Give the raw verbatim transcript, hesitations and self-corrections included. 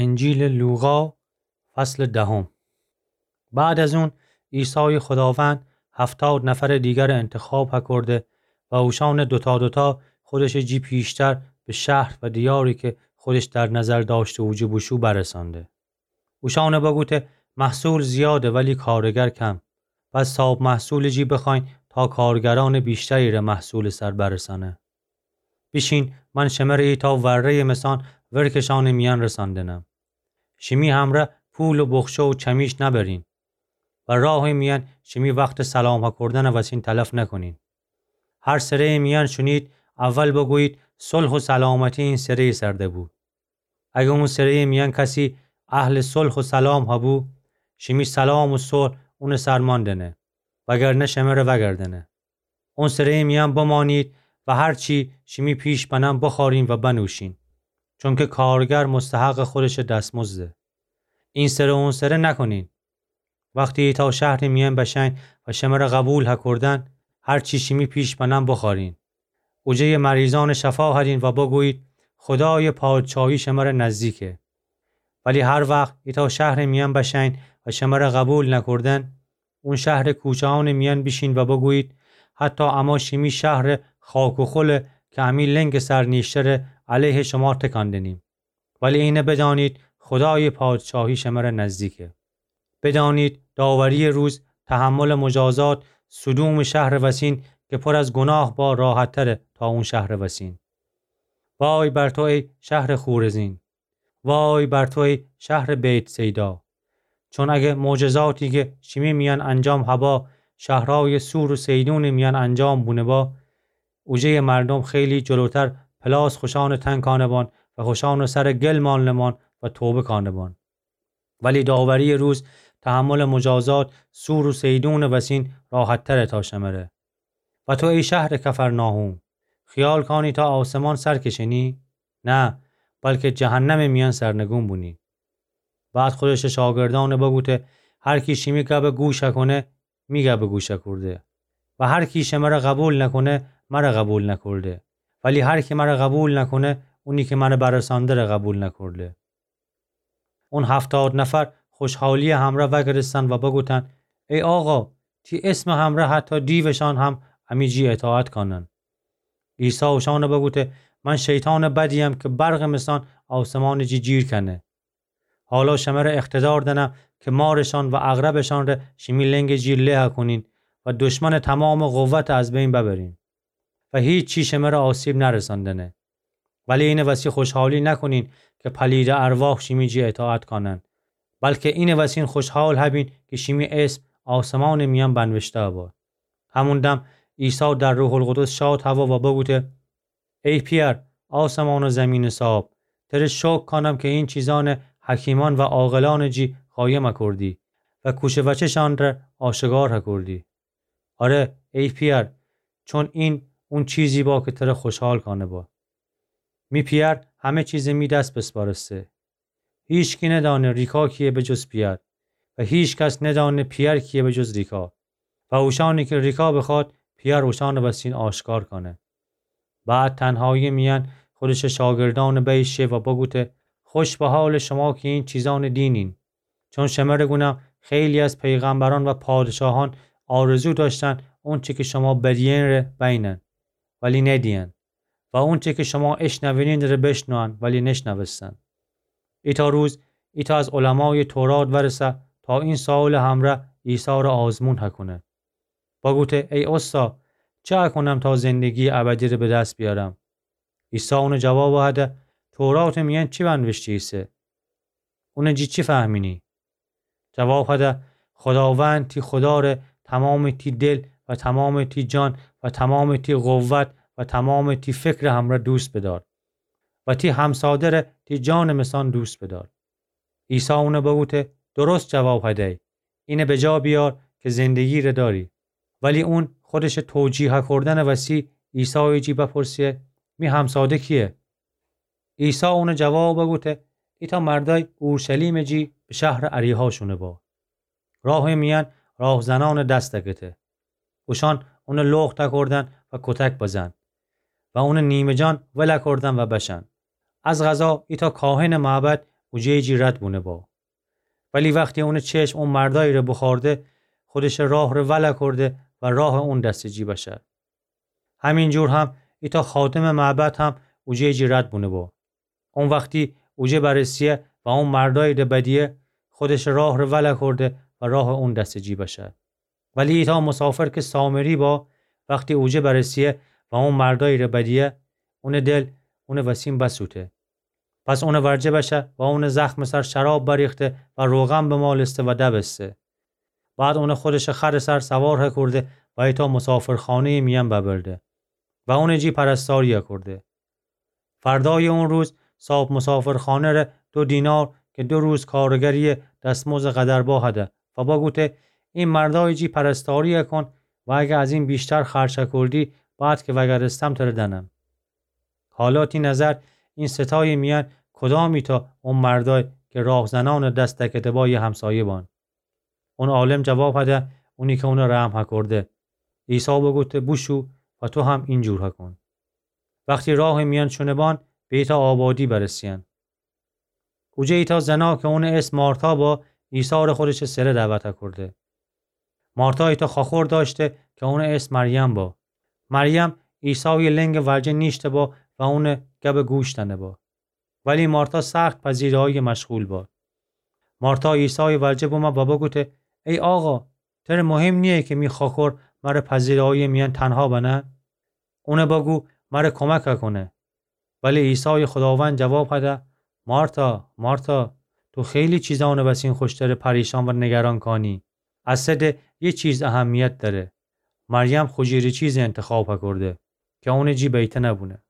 انجیلٚ لوقا، فصلٚ دهم. بعد از اون، عیسایٚ خوداوند هفتاد نفرٚ دیگر انتخاب هکرده و اوشانٚ دوتا دوتا خودشٚ جی پیشتر به شهر و دیاری که خودش در نظر داشته اوجه بوشو برسانده. اوشانٚ بگوته: محصول زیاده ولی کارگر کم. پس صاب محصولٚ جی بخواین تا کارگرانٚ بیشتری ره محصولٚ سر برسانه. بیشین، من شمره ایتا وره‌یٚ مثان ورکشانٚ میأن رساندنم. شیمی همره پول و بخچه و چمیش نبرین و راهٚ میأن شیمی وختٚ سلام هکردنٚ وسین تلف نکنین. هر سره‌یٚ میأن شونید، اول بگویید: صلح و سلامتی این سره‌یٚ سر دبو. اگه اون سره‌یٚ میأن کسی اهلٚ صلح و سلام هبو، شیمی سلام و صلح اونٚ سر ماندنه، وگرنه شمره وگردنه. اون سره‌یٚ میأن بمانید و هر چی شیمی پیش بنن بخورین و بنوشین، چونکه کارگر مستحقٚ خودشٚ دستمزده. این سره اون سره نکنین. وختی ایتا شهرٚ میأن بشین و شمره قبول هکردن، هر چی شیمی پیش بنن بخورین. اوجه‌یٚ مریضانٚ شفا هرین و بگویید: خدایٚ پادشاهی شمره نزدیکه. ولی هر وخت ایتا شهرٚ میأن بشین و شمره قبول نکردن، اون شهرٚ کوچه‌انٚ میأن بیشین و بگویید: حتی اما شیمی شهرٚ خاک و خوله که امی لنگٚ سر نیشتره علیه شما تکان دنیم. ولی اینه بدانید، خدایٚ پادشاهی شمره نزدیکه. بدانید، داوری‌یٚ روز تحملٚ مجازات سدومٚ شهرٚ وسین که پر از گناه با راحت‌تره تا اون شهرٚ وسین. وای بر تو ای شهرٚ خورزین! وای بر تو ای شهرٚ بیت‌صیدا! چون اگه معجزاتی که شیمی میأن انجام هبا، شهرایٚ صور و صیدونٚ میأن انجام بونه‌با، اوجه‌یٚ مردم خیلی جلوتر پلاس خوشانٚ تن کانه‌بان و خوشانٚ سر گل مانله‌مان و توبه کانه‌بان. ولی داوری‌یٚ روز تحملٚ مجازات صور و صیدونٚ وسین راحت‌تره تا شمره. و تو ای شهرٚ کفرناحوم، خیال کانی تا آسمان سر کشنی؟ نه، بلکه جهنمٚ میأن سرنگون بونی. بعد خودشٚ شاگردأن بگوته: هر کی شیمی گب گوش کنه، می گب گوش کرده. و هر کی شمره قبول نکنه، مره قبول نکرده. ولی هر کی مره قبول نکنه، اونی که مره برسانده ره قبول نکرده. اون هفتاد نفر خوشحالی‌یٚ همره وگرستن و بگوتن: ای آقا، تی اسمٚ همره حتی دیوشان هم امی جی اطاعت کانن. عیسی اوشان بگوته: من شیطانٚ بدیم که برقٚ مثان آسمانٚ جی جیر کنه. حالا شمره اقتدار دنم که مارشان و عقربشان ره شیمی لنگٚ جی له کنین و دشمنٚ تمامٚ قوت از بین ببرین و هیچی شمره آسیب نرساندنه. ولی اینٚ وسی خوشحالی نکنین که پلیدٚ ارواح شیمی جی اطاعت کانن، بلکه اینٚ وسین خوشحال هبین که شیمی اسم آسمانٚ میأن بنوشته با. همون دم عیسی در روح‌القدس شاد هوا و بگوته: ای پئر، آسمان و زمینٚ صاحب، تره شکر کانم که این چیزان حکیمان و عاقلانٚ جی قایم کردی و کوچه وچه‌شان ره آشکار کردی. آره، ای پئر، چون این اون چیزی با که تره خوشحال کانه با. می پئر همه چیز می دس بسپارسته. هیچکی ندانه ریکا کیه به جز پئر و هیچ کس ندانه پئر کیه به جز ریکا و اوشانی که ریکا بخواد، پئر اوشانٚ وسین آشکار کانه. بعد تنهایی‌یٚ میأن خودشٚ شاگردأن بیش شه و بگوته: خوش به حالٚ شما که این چیزان دینین، چون شمره گونم خیلی از پیغمبران و پادشاهان آرزو داشتن اونچه که شما بدیئن ره بینن، ولی ندیئن، و اونچه که شما اشنوینین ره بشنون، ولی نشنوستن. ایتا روز ایتا از علمایٚ تورات ورسه تا این سؤالٚ همره عیسی ره آزمون هکونه. بگوته: ای استا، چه هکونم تا زندگی‌یٚ ابدی ره به دس بیارم؟ عیسی اونٚ جواب هده: توراتٚ میأن چی بنوشته ایسه؟ اونٚ جی چی فهمینی؟ جواب هده: خداوند تی خدا ره تمامٚ تی دل و تمامٚ تی جان و تمامٚ تی قوت و تمامٚ تی فکرٚ همره دوست بدار و تی همساده ره تی جانٚ مثان دوست بدار. عیسی اون بگوته: درست جواب هدی، اینه بجا بیار که زندگی ره داری. ولی اون خودشٚ توجیه کردنٚ وسی عیسایٚ جی بپرسه: می همساده کیه؟ عیسی اونٚ جواب بگوته: ایتأ مردأی اورشلیمٚ جی به شهرٚ اریحا شونه با. راهٚ میأن راهزنأنٚ دس دکته. اوشأن اونٚ لخت دکردن و کتک بزن و اونٚ نیمه‌جان ول کردن و بشأن. از قضا ایتأ کاهنٚ معبد اوجه‌یٚ جی رد بونه با. ولی وختی اونٚ چشم او مردایٚ ره بوخورده، خودشٚ راه ره ول کرده و راه اون دستٚ جی بشه. همینجور هم ایتأ خادمٚ معبد هم اوجه‌یٚ جی رد بونه با. اون وختی اوجه برسیه و او مردایٚ ره بدیه، خودشٚ راه ره ول کرده و راه اون دستٚ جی بشه. ولی ایتأ مسافر کی سامری با، وختی اوجه برسیه و او مردایٚ ره بدیه، اونٚ دل اونٚ وسین بسوته. پس اونٚ ورجه بشه و اونٚ زخمٚ سر شراب بریخته و روغن بمالسته و دبسته. بعد اونٚ خودشٚ خرٚ سر سوار هکرده و ایتأ مسافرخانه‌یٚ میأن ببرده و اونٚ جی پرستاری هکرده. فردایٚ اون روز صاحب مسافرخانه ره دو دینار کی دو روز کارگریٚ دستمزدٚ قدر با هده و بگوته: این مردایٚ جی پرستاری هکون و اگر از این بیشتر خرج هکردی، بعد کی وگردستم تره دأنم. حالا تی نظر این ستایٚ میأن کدام ایتأ او مردای کی راهزنأنٚ دست دکده با یه همسایه بان؟ اون عالم جواب هده: اونی کی اونه رحم هکرده. عیسی بگوته: بوشو و تو هم اینجور هکون. وختی راهٚ میأن شونه بان، به ایتأ آبادی برسیأن. اوجه ایتأ زنا کی اونٚ اسم مارتا با، عیسی ره خودشٚ سره دعوت هکرده. مارتا ایتأ خوأخور دأشته کی اونٚ اسم مریم با. مریم عیسایٚ لنگٚ ورجه نیشته با و اونٚ گبٚ گوش دأنه با. ولی مارتا سخت پذیرایی‌یٚ مشغول با. مارتا عیسایٚ ورجه بمه و بگوته: ای آقا، تره مهم نییه کی می خوأخور مره پذیرایی‌یٚ میأن تنها بنه؟ اونه بگو مره کمک هکونه. ولی عیسایٚ خوداوند جواب هده: مارتا، مارتا، تو خیلی چیزأنٚ وسین خوشتره پریشان و نگران کانی. از صد یه چیز اهمیت دأره. مریم خوجیرٚ چیزٚ انتخاب هکرده کی اونٚ جی بیته نبونه.